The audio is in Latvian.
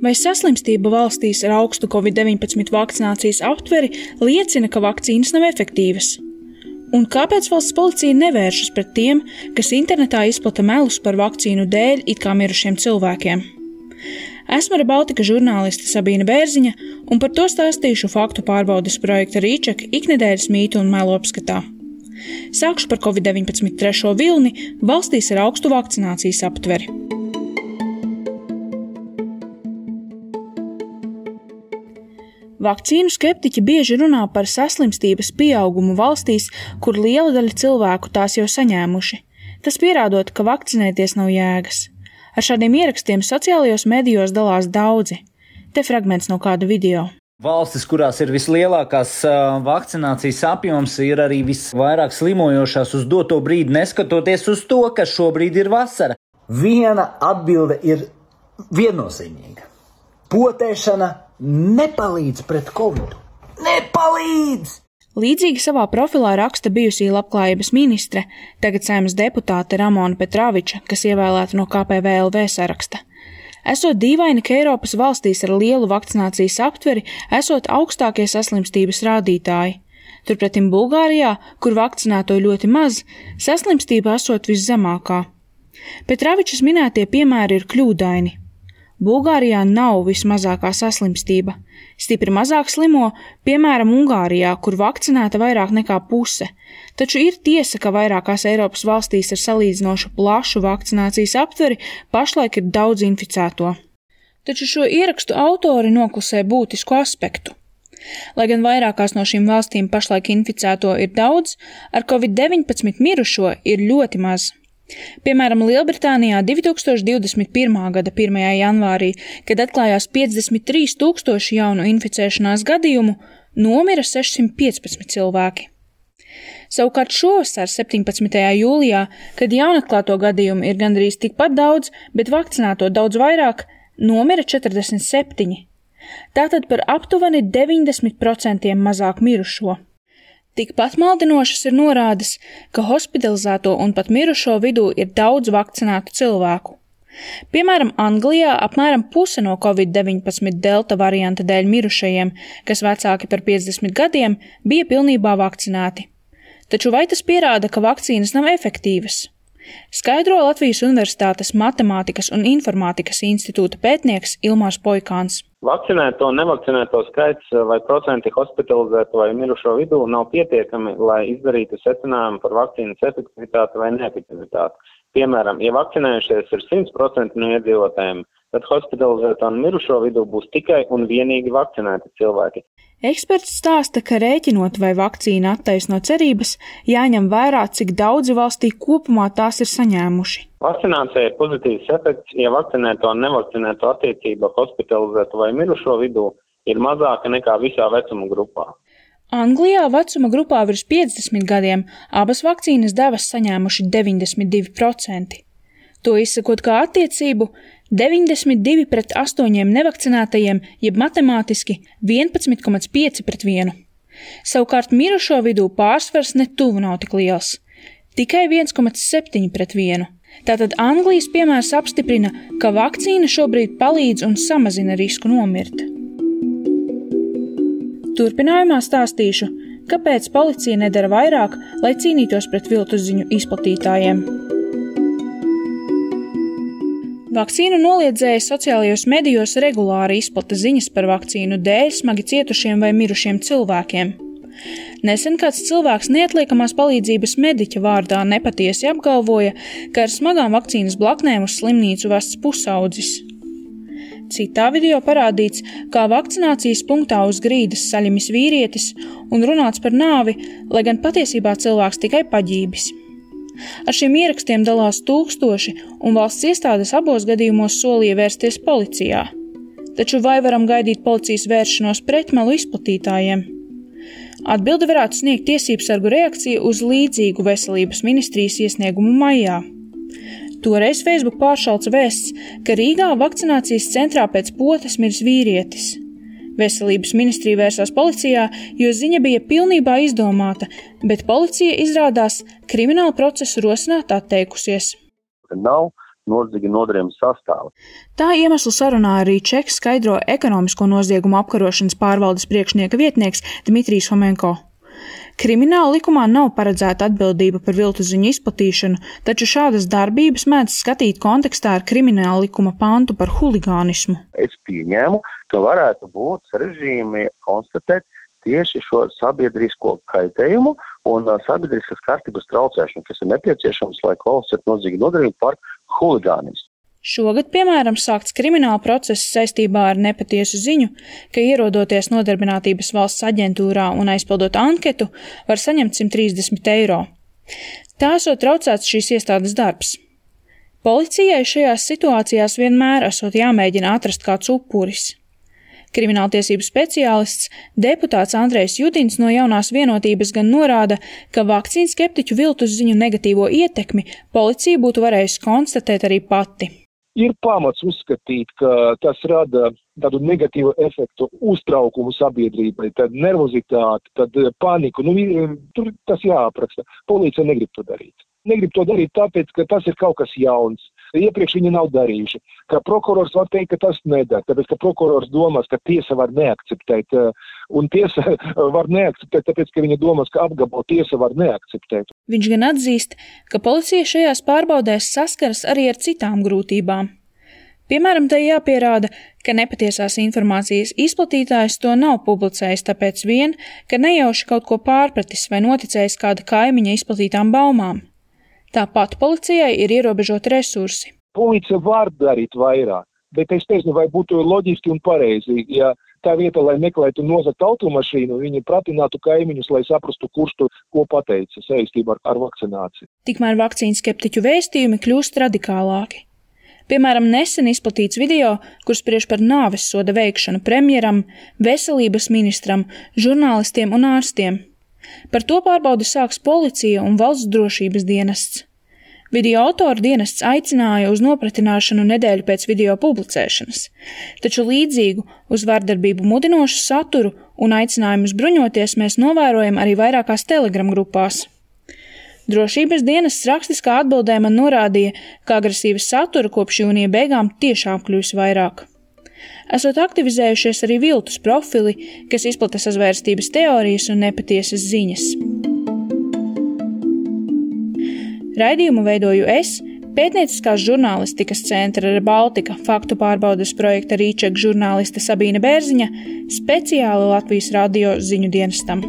Vai saslimstība valstīs ar augstu Covid-19 vakcinācijas aptveri liecina, ka vakcīnas nav efektīvas? Un kāpēc valsts policija nevēršas pret tiem, kas internetā izplata melus par vakcīnu dēļ it kā mirušiem cilvēkiem? Esmu ReBaltica žurnāliste Sabīna Bērziņa, un par to stāstīšu faktu pārbaudes projekta Rīček iknedēļas mītu un melu apskatā. Sākšu par Covid-19 trešo vilni valstīs ar augstu vakcinācijas aptveri. Vakcīnu skeptiķi bieži runā par saslimstības pieaugumu valstīs, kur liela daļa cilvēku tās jau saņēmuši. Tas pierādot, ka vakcinēties nav jēgas. Ar šādiem ierakstiem sociālajos medijos dalās daudzi. Te fragments no kāda video. Valstis, kurās ir vislielākās vakcinācijas apjoms, ir arī visvairāk slimojošās uz doto brīdi, neskatoties uz to, ka šobrīd ir vasara. Viena atbilde ir viennozīmīga. Potēšana nepalīdz pret Covidu. Nepalīdz! Līdzīgi savā profilā raksta bijusī labklājības ministre, tagad Saeimas deputāte Ramona Petraviča, kas ievēlēta no KPVLV saraksta. Esot dīvaini, ka Eiropas valstīs ar lielu vakcinācijas aptveri esot augstākie saslimstības rādītāji. Turpretim Bulgārijā, kur vakcinēto ļoti maz, saslimstība esot viszemākā. Petravičas minētie piemēri ir kļūdaini. Bulgārijā nav vismazākā saslimstība. Stipri mazāk slimo, piemēram, Ungārijā, kur vakcinēta vairāk nekā puse. Taču ir tiesa, ka vairākās Eiropas valstīs ar salīdzinoši plašu vakcinācijas aptveri pašlaik ir daudz inficēto. Taču šo ierakstu autori noklusē būtisku aspektu. Lai gan vairākās no šīm valstīm pašlaik inficēto ir daudz, ar Covid-19 mirušo ir ļoti maz. Piemēram, Lielbritānijā 2021. gada 1. janvārī, kad atklājās 53 000 jaunu inficēšanās gadījumu, nomira 615 cilvēki. Savukārt šovasar 17. jūlijā, kad jaunatklāto gadījumu ir gandrīz tikpat daudz, bet vakcinēto daudz vairāk, nomira 47. Tātad par aptuveni 90% mazāk mirušo. Tikpat maldinošas ir norādes, ka hospitalizēto un pat mirušo vidū ir daudz vakcinētu cilvēku. Piemēram, Anglijā apmēram puse no Covid-19 delta varianta dēļ mirušajiem, kas vecāki par 50 gadiem, bija pilnībā vakcinēti. Taču vai tas pierāda, ka vakcīnas nav efektīvas? Skaidro Latvijas Universitātes Matemātikas un Informātikas institūta pētnieks Ilmārs Poikāns. Vakcinēto un nevakcinēto skaits vai procenti hospitalizēto vai mirušo vidū nav pietiekami, lai izdarītu secinājumu par vakcīnas efektivitāti vai neefektivitāti. Piemēram, ja vakcinējušies ir 100% no iedzīvotājiem, tad hospitalizēto un mirušo vidū būs tikai un vienīgi vakcinēti cilvēki. Eksperts stāsta, ka rēķinot, vai vakcīna attaisno cerības, jāņem vērā, cik daudzi valstī kopumā tās ir saņēmuši. Vakcinācija ir pozitīvs efekts, ja vakcinēto un nevakcinēto attiecība hospitalizēto vai mirušo vidū ir mazāka nekā visā vecuma grupā. Anglijā vecuma grupā virs 50 gadiem abas vakcīnas devas saņēmuši 92%. To izsakot kā attiecību 92 pret 8 nevakcinētajiem, jeb matemātiski 11,5 pret 1. Savukārt mirušo vidū pārsvars netuvu nav tik liels – tikai 1,7 pret 1. Tātad Anglijas piemērs apstiprina, ka vakcīna šobrīd palīdz un samazina risku nomirt. Turpinājumā stāstīšu, kāpēc policija nedara vairāk, lai cīnītos pret viltus ziņu izplatītājiem. Vakcīnu noliedzēji sociālajos medijos regulāri izplata ziņas par vakcīnu dēļ smagi cietušiem vai mirušiem cilvēkiem. Nesen kāds cilvēks neatliekamās palīdzības mediķa vārdā nepatiesi apgalvoja, ka ar smagām vakcīnas blaknēm uz slimnīcu vests pusaudzis. Citā video parādīts, kā vakcinācijas punktā uz grīdas saļamis vīrietis un runāts par nāvi, lai gan patiesībā cilvēks tikai paģībis. Ar šiem ierakstiem dalās tūkstoši, un valsts iestādes abos gadījumos solīja vērsties policijā. Taču vai varam gaidīt policijas vēršanos pret melu izplatītājiem? Atbilde varētu sniegt tiesībsargu reakciju uz līdzīgu veselības ministrijas iesniegumu maijā. Toreiz Facebook pāršalca vēsts, ka Rīgā vakcinācijas centrā pēc potes miris vīrietis. Veselības ministrija vērsās policijā, jo ziņa bija pilnībā izdomāta, bet policija izrādās kriminālu procesu rosināt atteikusies. Nav noziega nodarījuma sastāvu. Tā iemeslu sarunā arī Čeks skaidro ekonomisko noziegumu apkarošanas pārvaldes priekšnieka vietnieks Dmitrijs Homenko. Krimināla likumā nav paredzēta atbildība par viltus ziņu izplatīšanu, taču šādas darbības mēdz skatīt kontekstā ar krimināla likuma pantu par huligānismu. Es pieņēmu, ka varētu būt sarežģījumi konstatēt tieši šo sabiedrisko kaitējumu un sabiedriskas kārtības traucēšanu, kas ir nepieciešams, lai kvalificētu noziega nodarījumu par huligānismu. Šogad, piemēram, sākts krimināla process saistībā ar nepatiesu ziņu, ka ierodoties Nodarbinātības valsts aģentūrā un aizpildot anketu, var saņemt 130 eiro. Tā esot traucēts šīs iestādes darbs. Policijai šajās situācijās vienmēr esot jāmēģina atrast kāds upuris. Krimināltiesību speciālists, deputāts Andrejs Judins no Jaunās vienotības gan norāda, ka vakcīnu skeptiķu viltus ziņu negatīvo ietekmi policija būtu varējusi konstatēt arī pati. Ir pamats uzskatīt, ka tas rada tādu negatīvu efektu, uztraukumu sabiedrībai, tad nervozitāti, tad paniku. Tur tas jāapraksta. Policija negrib to darīt. Negrib to darīt tāpēc, ka tas ir kaut kas jauns. Iepriekš viņi nav darījuši. Kā prokurors var teikt, ka tas nedara, tāpēc, ka prokurors domās, ka tiesa var neakceptēt. Un tiesa var neakceptēt, tāpēc, ka viņa domās, ka apgabalu tiesa var neakceptēt. Viņš gan atzīst, ka policija šajās pārbaudēs saskaras arī ar citām grūtībām. Piemēram, tai jāpierāda, ka nepatiesās informācijas izplatītājs to nav publicējis tāpēc vien, ka nejauši kaut ko pārpratis vai noticējis kāda kaimiņa izplatītām baumām. Tāpat policijai ir ierobežoti resursi. Policija var darīt vairāk, bet es teicu, vai būtu loģiski un pareizi, ja tā vieta, lai meklētu nozagt automašīnu, viņi pratinātu kaimiņus, lai saprastu, kurš to ko pateica saistībā ar vakcināciju. Tikmēr vakcīnu skeptiķu vēstījumi kļūst radikālāki. Piemēram, nesen izplatīts video, kur spriež par nāvessoda veikšanu premjeram, veselības ministram, žurnālistiem un ārstiem. Par to pārbaudi sāks policija un valsts drošības dienests. Video autoru dienests aicināja uz nopratināšanu nedēļu pēc video publicēšanas, taču līdzīgu uz vardarbību mudinošu saturu un aicinājumus bruņoties mēs novērojam arī vairākās Telegram grupās. Drošības dienests rakstiskā atbildē man norādīja, ka agresīvas satura kopš jūnija beigām tiešām kļūs vairāk. Esot aktivizējušies arī viltus profili, kas izplata sazvērstības teorijas un nepatiesas ziņas. Raidījumu veidoju es, pētnieciskās žurnālistikas centra Rebaltika faktu pārbaudes projekta Rīčeka žurnāliste Sabīne Bērziņa, speciāli Latvijas radio ziņu dienestam.